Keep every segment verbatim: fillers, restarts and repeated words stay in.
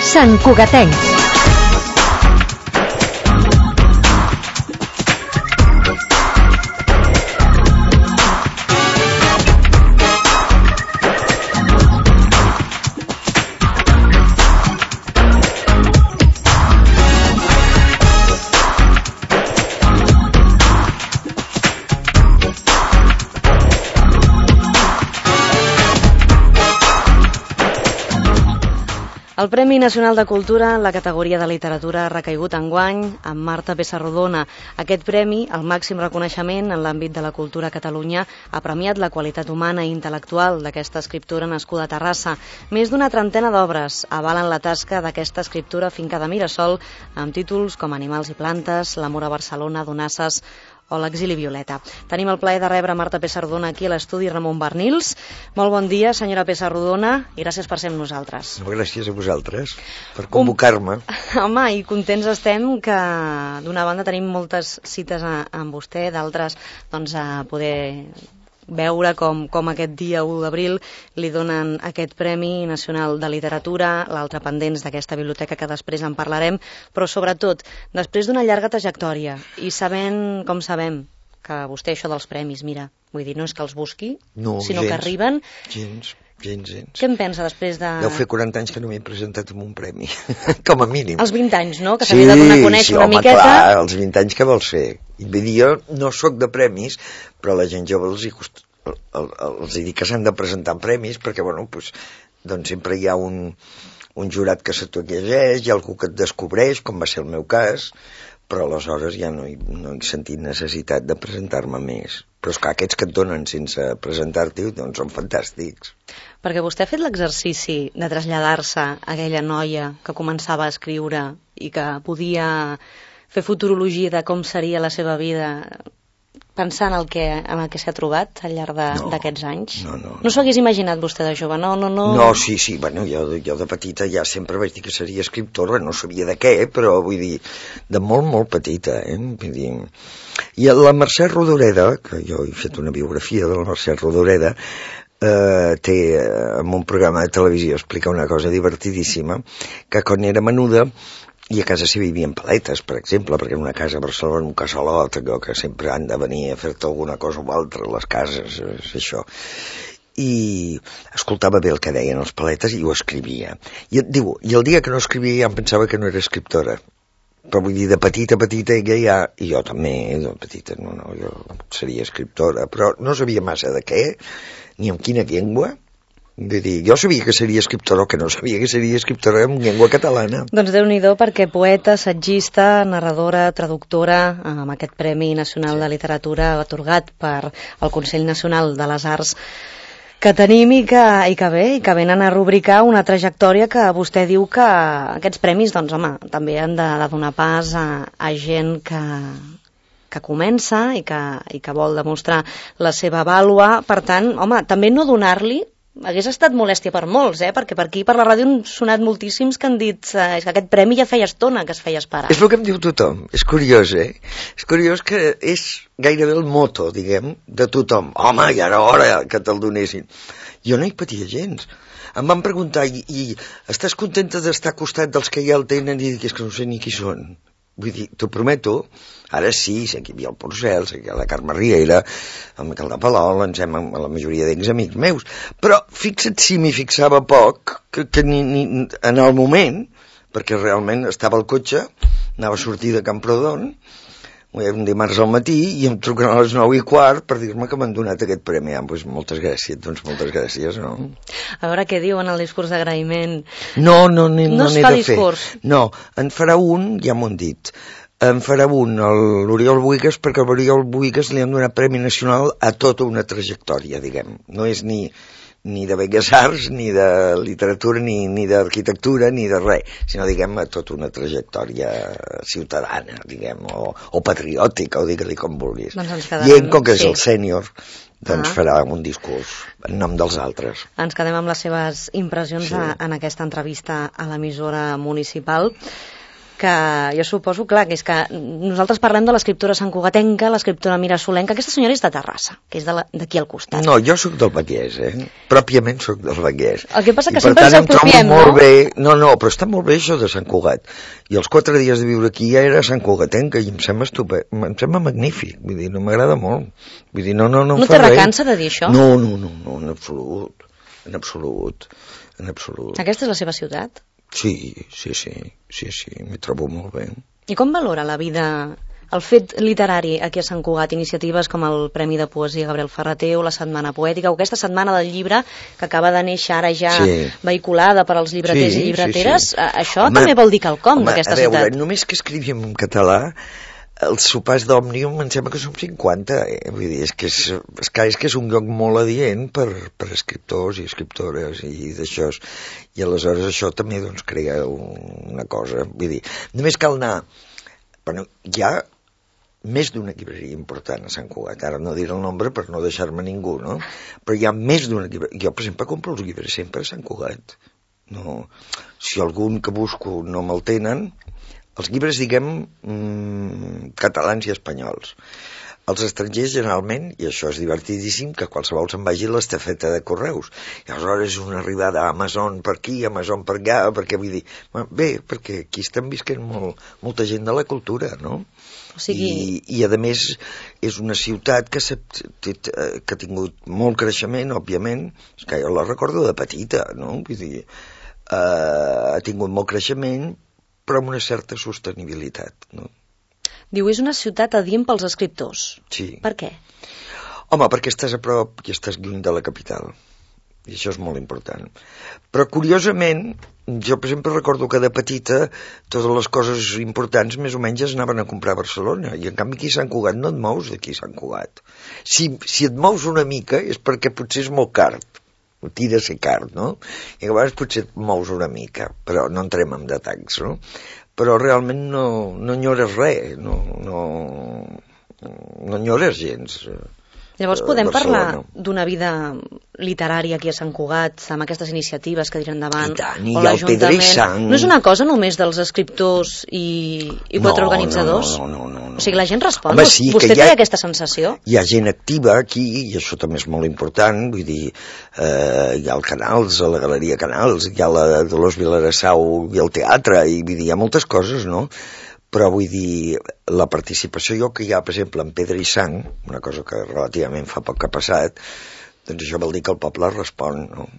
Sant Cugatenc. El Premi Nacional de Cultura en la categoria de literatura ha recaigut enguany amb Marta Pessarrodona. Aquest premi, el màxim reconeixement en l'àmbit de la cultura a Catalunya, ha premiat la qualitat humana i intel·lectual d'aquesta escriptora nascuda a Terrassa. Més d'una trentena d'obres avalen la tasca d'aquesta escriptura finca de Mirasol amb títols com Animals i plantes, L'amor a Barcelona, Donasses o L'exili violeta. Tenim el plaer de rebre Marta Pessarrodona aquí a l'estudi Ramon Barnils. Molt bon dia, senyora Pessarrodona, i gràcies per ser amb nosaltres. No, gràcies a vosaltres per convocar-me. Um, home, i contents estem que d'una banda tenim moltes cites a, amb vostè, d'altres doncs, a poder veure com, com aquest dia u d'abril li donen aquest Premi Nacional de Literatura, l'altre pendents d'aquesta biblioteca que després en parlarem, però sobretot, després d'una llarga trajectòria i sabent, com sabem, que vostè això dels premis, mira, vull dir, no és que els busqui, no, sinó gens, que arriben... Gens, gens, gens. Què en pensa després de... Deu fer quaranta anys que no m'he presentat amb un premi, com a mínim. Els vint anys, no? Que sí, s'havia de donar a conèixer sí, una home, miqueta. Clar, els vint anys que vols fer. I vull dir, jo no sóc de premis, però la gent jove els hi costa... els hi dic que s'han de presentar en premis perquè, bueno, pues, doncs sempre hi ha un, un jurat que se t'ho llegeix, hi ha algú que et descobreix, com va ser el meu cas, però aleshores ja no he, no he sentit necessitat de presentar-me més. Però és que aquests que et donen sense presentar-t'hi, doncs són fantàstics. Perquè vostè ha fet l'exercici de traslladar-se a aquella noia que començava a escriure i que podia fer futurologia de com seria la seva vida pensant en el que, en el que s'ha trobat al llarg d'aquests no, anys? No, no. No s'ho hagués imaginat vostè de jove? No, no, no... No, sí, sí, bueno, jo, jo de petita ja sempre vaig dir que seria escriptora, no sabia de què, però vull dir, de molt, molt petita, eh? Vull dir... I la Mercè Rodoreda, que jo he fet una biografia de la Mercè Rodoreda, eh, té en un programa de televisió explica una cosa divertidíssima, que quan era menuda i a casa s'hi vivien paletes, per exemple, perquè en una casa a Barcelona, un casalot, que sempre han de venir a fer-te alguna cosa o altra, les cases, és això. I escoltava bé el que deien els paletes i ho escrivia. I, diu, i el dia que no escrivia ja em pensava que no era escriptora. Però vull dir, de petita, petita, ella ja... I jo també, de petita, no, no, jo seria escriptora, però no sabia massa de què, ni en quina llengua. Vull dir, jo sabia que seria escriptora, o que no sabia que seria escriptora en llengua catalana. Doncs Déu-n'hi-do, perquè poeta, assagista, narradora, traductora, amb aquest Premi Nacional sí. de Literatura atorgat per el Consell Nacional de les Arts que tenim i que, i que bé, i que venen a rubricar una trajectòria que vostè diu que aquests premis, doncs home, també han de, de donar pas a, a gent que... que comença i que, i que vol demostrar la seva vàlua. Per tant, home, també no donar-li hagués estat molèstia per molts, eh? Perquè per aquí, per la ràdio, han sonat moltíssims que han dit eh, que aquest premi ja feia estona que es feia esperar. És el que em diu tothom. És curiós, eh? És curiós que és gairebé el moto, diguem, de tothom. Home, ja era hora que te'l donessin. Jo no hi patia gens. Em van preguntar, i, i estàs contenta d'estar al costat dels que ja el tenen? I dic, és que no sé ni qui són. Vull dir, t'ho prometo, ara sí, sé que hi havia el Porcel, sé que hi ha la Carme Riera, el Miquel de Palol, ens hem amb la majoria d'ells amics meus, però fixa't si m'hi fixava poc, que, que ni, ni en el moment, perquè realment estava al cotxe, anava a sortir de Camprodon, un dimarts al matí, i em truquen a les nou i quart per dir-me que m'han donat aquest premi. Ah, doncs moltes gràcies, doncs moltes gràcies, no? A veure què diuen el discurs d'agraïment. No, no, no, no, no n'he de discurs. Fer. No, en farà un, ja m'ho han dit, en farà un, l'Oriol Buigas, perquè a l'Oriol Buigas li han donat Premi Nacional a tota una trajectòria, diguem. No és ni... ni de Belles Arts, ni de literatura, ni, ni d'arquitectura, ni de res, sinó, diguem, a tota una trajectòria ciutadana, diguem, o, o patriòtica, o digue-li com vulguis. Doncs quedarem, I ell, com que és sí. el sènior, doncs ah. farà un discurs en nom dels altres. Ens quedem amb les seves impressions sí. a, en aquesta entrevista a l'emissora municipal. que jo suposo, clar, que és que nosaltres parlem de l'escriptora santcugatenca, l'escriptora mirasolenca, aquesta senyora és de Terrassa, que és d'aquí al costat. No, jo sóc del Vallès, eh? Pròpiament sóc del Vallès. El que passa que I sempre ens apropiem, no? Molt bé... No, no, però està molt bé això de Sant Cugat. I els quatre dies de viure aquí ja era santcugatenca i em sembla estupè, em sembla magnífic, vull dir, no m'agrada molt. Vull dir, no, no, no, no te recansa de dir això? No, no, no, no, en absolut, en absolut, en absolut. Aquesta és la seva ciutat? Sí, sí, sí, sí, sí, m'hi trobo molt bé. I com valora la vida, el fet literari aquí a Sant Cugat, iniciatives com el Premi de Poesia Gabriel Ferrater o la Setmana Poètica o aquesta Setmana del Llibre que acaba de néixer ara ja sí. vehiculada per als llibreters sí, i llibreteres, sí, sí. Això home, també vol dir quelcom d'aquesta ciutat. A veure, només que escrivíem en català, els sopars d'Òmnium em sembla que som cinquanta, eh? Vull dir, és que és, és, que és que és un lloc molt adient per, per escriptors i escriptores i d'això, i aleshores això també doncs crea una cosa, vull dir, només cal anar, bueno, hi ha més d'una llibreria important a Sant Cugat, ara no diré el nombre per no deixar-me ningú, no? Però hi ha més d'una llibreria, jo per exemple compro els llibres sempre a Sant Cugat, no, si algun que busco no me'l tenen, els llibres, diguem, mmm, catalans i espanyols. Els estrangers, generalment, i això és divertidíssim, que qualsevol se'n vagi a l'estafeta de correus. I aleshores és una arribada a Amazon per aquí, Amazon per allà, perquè vull dir... Bé, perquè aquí estan visquent molt, molta gent de la cultura, no? O sigui... I, i a més, és una ciutat que, que ha tingut molt creixement, òbviament, és que jo la recordo de petita, no? Vull dir, eh, ha tingut molt creixement, però amb una certa sostenibilitat, no? Diu, és una ciutat adient pels escriptors. Sí. Per què? Home, perquè estàs a prop i estàs lluny de la capital. I això és molt important. Però, curiosament, jo, per exemple, recordo que de petita totes les coses importants més o menys es anaven a comprar a Barcelona. I, en canvi, aquí a Sant Cugat no et mous d'aquí a Sant Cugat. Si, si et mous una mica és perquè potser és molt car. Tira a ser car, no? I a vegades potser et mous una mica, però no entrem en detalls, no? Però realment no, no enyores res, no, no, no enyores gens. Llavors podem parlar d'una vida literària aquí a Sant Cugat, amb aquestes iniciatives que diran endavant, I tant, i o l'Ajuntament. No és una cosa només dels escriptors i, i quatre no, organitzadors? No, no, no, no, no. O sigui, la gent respon? Home, sí, Vostè té ha, aquesta sensació? Hi ha gent activa aquí, i això també és molt important, vull dir, eh, hi ha el Canals, a la Galeria Canals, hi ha la Dolors Vilarassau i el teatre, i vull dir, hi ha moltes coses, no? Però vull dir, la participació jo que hi ha, per exemple, en Pedra i Sang, una cosa que relativament fa poc que ha passat, doncs això vol dir que el poble respon, no?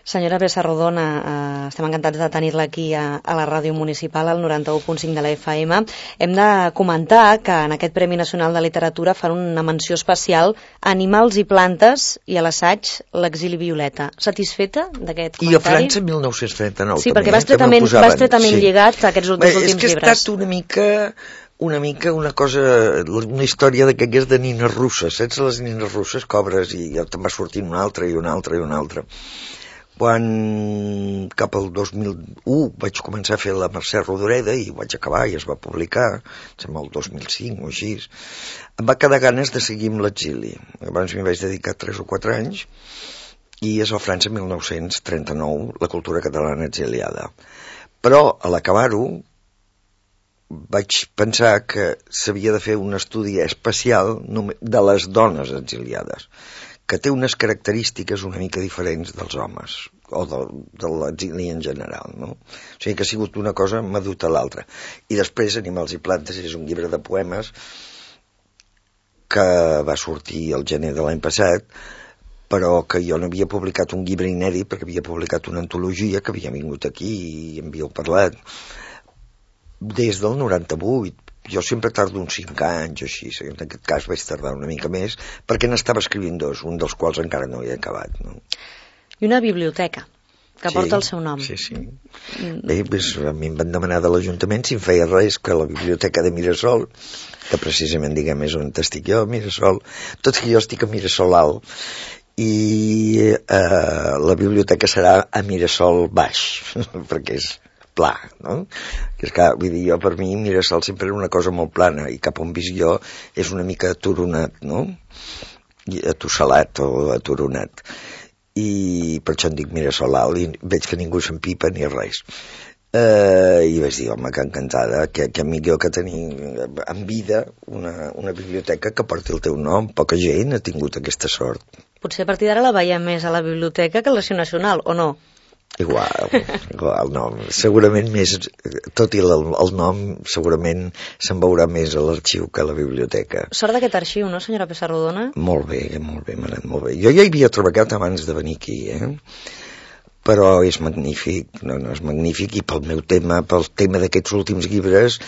Senyora Bessa Rodona, eh, estem encantats de tenir-la aquí a, a la ràdio municipal, al noranta-u punt cinc de la F M. Hem de comentar que en aquest Premi Nacional de Literatura fan una menció especial a Animals i plantes i a l'assaig L'exili violeta. Satisfeta d'aquest comentari? I a França mil nou-cents trenta-nou sí, també. Sí, perquè va estretament, va estretament sí. lligat a aquests dos últims llibres. És que ha estat una mica... una mica una cosa, una història d'aquelles de nines russes, saps les nines russes, cobres, i ja te'n va sortint una altra i una altra i una altra. Quan cap al dos mil u vaig començar a fer la Mercè Rodoreda i vaig acabar i es va publicar, sembla el dos mil cinc o així, em va quedar ganes de seguir amb l'exili. Abans m'hi vaig dedicar tres o quatre anys i és a França mil nou-cents trenta-nou, la cultura catalana exiliada. Però a l'acabar-ho vaig pensar que s'havia de fer un estudi especial de les dones exiliades, que té unes característiques una mica diferents dels homes, o de, de l'exili en general, no? O sigui que ha sigut una cosa m'ha dut a l'altra. I després, Animals i plantes és un llibre de poemes que va sortir el gener de l'any passat, però que jo no havia publicat un llibre inèdit, perquè havia publicat una antologia que havia vingut aquí i en havíeu parlat, des del noranta-vuit. Jo sempre tardo uns cinc anys o així, en aquest cas vaig tardar una mica més, perquè n'estava escrivint dos, un dels quals encara no he acabat. No? I una biblioteca, que sí, porta el seu nom. Sí, sí. Mm. Bé, doncs, a mi em van demanar de l'Ajuntament si em feia res que la biblioteca de Mirasol, que precisament, diguem, és on estic jo, Mirasol, tot que jo estic a Mirasol Alt, i eh, la biblioteca serà a Mirasol Baix, perquè és pla, no? Que és que, vull dir, jo per mi Mirasol sempre era una cosa molt plana i cap on visc jo és una mica aturonat, no? Atussalat o aturonat. I per això en dic Mirasol Alt i veig que ningú s'empipa ni res. Eh, I vaig dir, home, que encantada, que, que millor que tenir en vida una, una biblioteca que porti el teu nom. Poca gent ha tingut aquesta sort. Potser a partir d'ara la veiem més a la biblioteca que a l'Arxiu Nacional, o no? Igual, igual, no. Segurament més, tot i el, el nom, segurament se'n veurà més a l'arxiu que a la biblioteca. Sort d'aquest arxiu, no, senyora Pessarrodona? Molt bé, molt bé, m'ha anat molt bé. Jo ja hi havia treballat abans de venir aquí, eh? Però és magnífic, no, no, és magnífic, i pel meu tema, pel tema d'aquests últims llibres,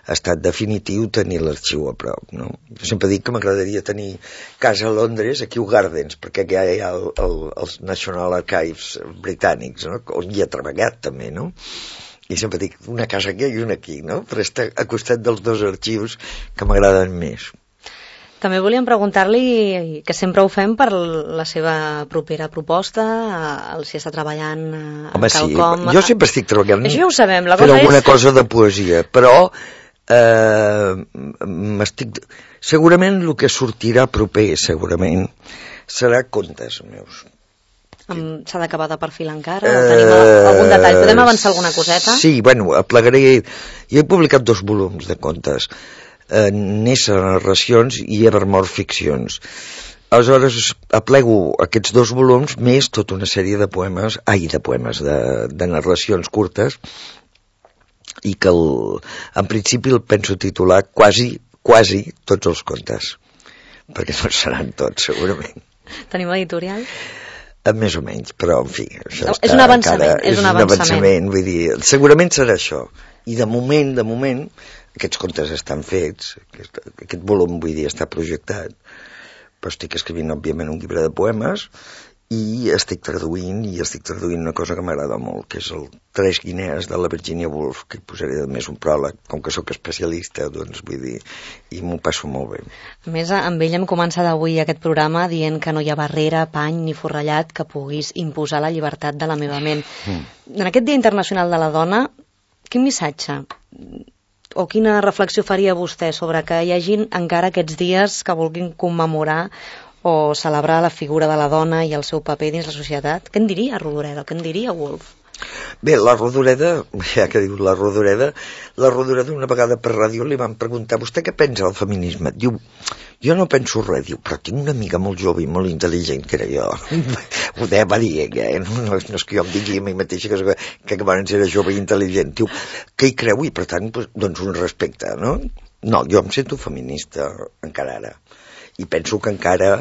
ha estat definitiu tenir l'arxiu a prop, no? Jo sempre dic que m'agradaria tenir casa a Londres, a Kew Gardens, perquè ja hi ha el, el, els National Archives britànics, no? On hi ha treballat també, no? I sempre dic una casa aquí i una aquí, no? Per estar a costat dels dos arxius que m'agraden més. També volíem preguntar-li, que sempre ho fem, per la seva propera proposta, el si està treballant a Home, quelcom... sí, jo sempre estic treballant Això ja ho sabem, la per cosa alguna és... cosa de poesia, però eh, m'estic... Segurament el que sortirà proper, segurament, serà contes meus. S'ha d'acabar de perfilar encara? Uh, tenim algun detall? Podem avançar alguna coseta? Sí, bueno, aplegaré... Jo he publicat dos volums de contes, eh, Nessa narracions i Evermore ficcions. Aleshores aplego aquests dos volums més tota una sèrie de poemes, ai, de poemes, de, de narracions curtes, i que el, en principi el penso titular quasi, quasi tots els contes, perquè no seran tots, segurament. Tenim editorial? Més o menys, però en fi, això no, està és un avançament, encara, és un avançament. avançament, vull dir, segurament serà això. I de moment, de moment, aquests contes estan fets, aquest, aquest volum, vull dir, està projectat, però estic escrivint, òbviament, un llibre de poemes, i estic traduint, i estic traduint una cosa que m'agrada molt, que és el Tres guinees de la Virginia Woolf, que hi posaré de més un pròleg, com que sóc especialista, doncs vull dir, i m'ho passo molt bé. A més, amb ell hem començat avui aquest programa dient que no hi ha barrera, pany ni forrellat que puguis imposar la llibertat de la meva ment. Mm. En aquest Dia Internacional de la Dona, quin missatge o quina reflexió faria vostè sobre que hi hagin encara aquests dies que vulguin commemorar o celebrar la figura de la dona i el seu paper dins la societat? Què en diria Rodoreda? Què en diria Woolf? Bé, la Rodoreda, ja que diu la Rodoreda, la Rodoreda una vegada per ràdio li van preguntar, vostè què pensa del feminisme? Diu, jo no penso res, diu, però tinc una amiga molt jove i molt intel·ligent que era jo. Ho deia, va dir ella, eh? no, no, no és que jo em digui a mi mateixa que, que abans era jove i intel·ligent. Diu, que hi creu i per tant, doncs un respecte, no? No, jo em sento feminista encara ara. I penso que encara...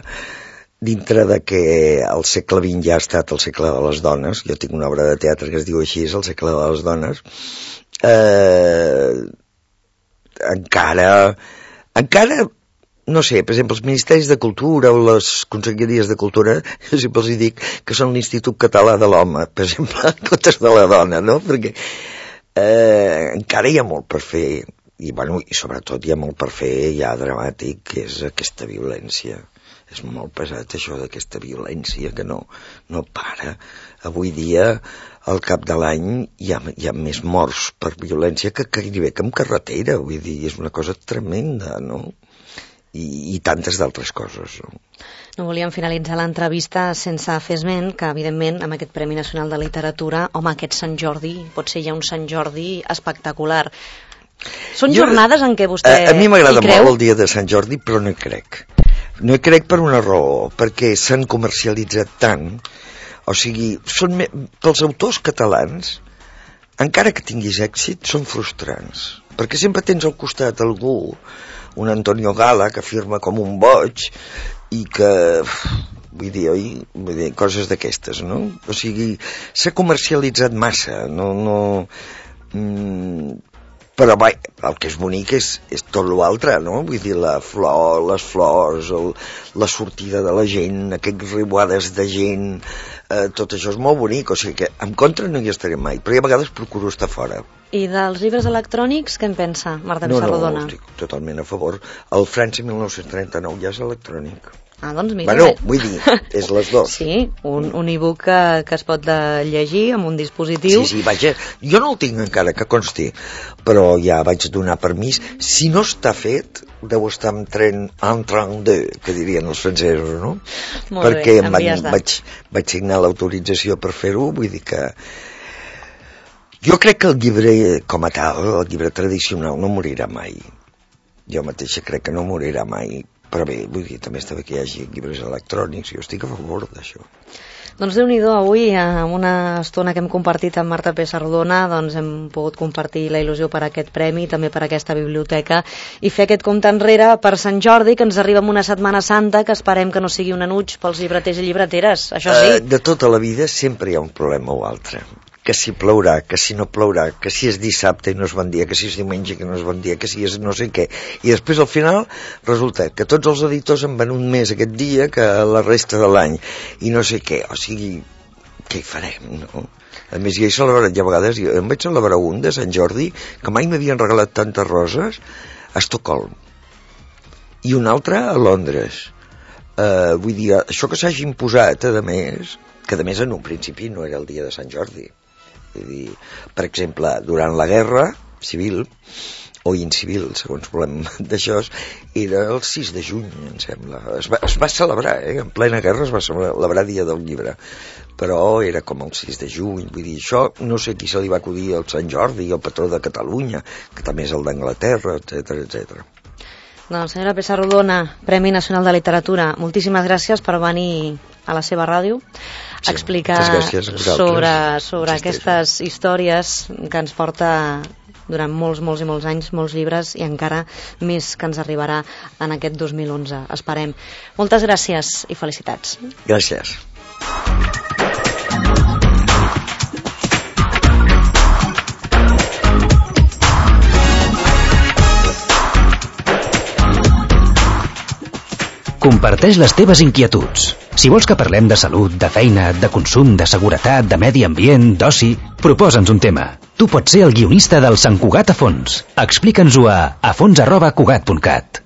dintre de que el segle vint ja ha estat el segle de les dones, jo tinc una obra de teatre que es diu així, és el segle de les dones, eh, encara, encara, no sé, per exemple, els Ministeris de Cultura o les Conselleries de Cultura, jo sempre els dic que són l'Institut Català de l'Home, per exemple, en comptes de la dona, no? Perquè eh, encara hi ha molt per fer, i, bueno, i sobretot hi ha molt per fer ja dramàtic, que és aquesta violència. És molt pesat això d'aquesta violència que no, no para. Avui dia, al cap de l'any, hi ha, hi ha més morts per violència que gairebé que en carretera. Vull dir, és una cosa tremenda, no? I, i tantes d'altres coses, no? No volíem finalitzar l'entrevista sense fer esment que, evidentment, amb aquest Premi Nacional de Literatura, home, aquest Sant Jordi, pot ser ja un Sant Jordi espectacular. Són jo, jornades en què vostè hi creu? A mi m'agrada molt el dia de Sant Jordi, però no hi crec. No hi crec per una raó, perquè s'han comercialitzat tant, o sigui, són me... pels autors catalans, encara que tinguis èxit, són frustrants, perquè sempre tens al costat algú, un Antonio Gala, que firma com un boig, i que, vull dir, oi? Vull dir, coses d'aquestes, no? O sigui, s'ha comercialitzat massa, no... no mm, però vai, el que és bonic és, és tot l'altre, no? Vull dir, la flor, les flors, el, la sortida de la gent, aquests riuades de gent, eh, tot això és molt bonic, o sigui que en contra no hi estaré mai, però a vegades procuro estar fora. I dels llibres electrònics, què en pensa, Marta no, Pessarrodona? No, no, estic totalment a favor. El França mil nou-cents trenta-nou ja és electrònic. Ah, doncs mira... Bueno, vull dir, és les dues. Sí, un, un e-book que, que es pot llegir amb un dispositiu. Sí, sí, vaja, jo no el tinc encara, que consti, però ja vaig donar permís. Si no està fet, deu estar en tren en train de, que dirien els francesos, no? Molt Perquè bé, van, vaig, vaig signar l'autorització per fer-ho, vull dir que... Jo crec que el llibre, com a tal, el llibre tradicional no morirà mai. Jo mateixa crec que no morirà mai. Però bé, vull dir, també està bé que hi hagi llibres electrònics, jo estic a favor d'això. Doncs Déu-n'hi-do, avui, amb una estona que hem compartit amb Marta Pessarrodona, doncs hem pogut compartir la il·lusió per aquest premi, també per aquesta biblioteca, i fer aquest compte enrere per Sant Jordi, que ens arriba amb una Setmana Santa, que esperem que no sigui un enuig pels llibreters i llibreteres, això sí. Uh, de tota la vida sempre hi ha un problema o altre. Que si plourà, que si no plourà, que si és dissabte i no és bon dia, que si és diumenge que no és bon dia, que si és no sé què. I després al final resulta que tots els editors en van un més aquest dia que la resta de l'any. I no sé què, o sigui, què hi farem, no? A més, ja he celebrat, ja a vegades, jo em vaig celebrar un de Sant Jordi, que mai m'havien regalat tantes roses, a Estocolm. I un altre a Londres. Uh, vull dir, això que s'hagi imposat, a més, que a més en un principi no era el dia de Sant Jordi. Vull dir, per exemple, durant la guerra civil, o incivil, segons volem d'això, era el sis de juny, em sembla. Es va, es va celebrar, eh? En plena guerra es va celebrar Dia del Llibre, però era com el sis de juny. Vull dir, això no sé qui se li va acudir al Sant Jordi, el patró de Catalunya, que també és el d'Anglaterra, etcètera, etcètera. Doncs, senyora Pessarrodona, Premi Nacional de Literatura, moltíssimes gràcies per venir a la seva ràdio a sí, explicar sobre, sobre aquestes històries que ens porta durant molts, molts i molts anys, molts llibres, i encara més que ens arribarà en aquest dos mil onze, esperem. Moltes gràcies i felicitats. Gràcies. Comparteix les teves inquietuds. Si vols que parlem de salut, de feina, de consum, de seguretat, de medi ambient, d'oci, proposa'ns un tema. Tu pots ser el guionista del Sant Cugat a fons. Explica'ns-ho a afons arroba cugat punt cat.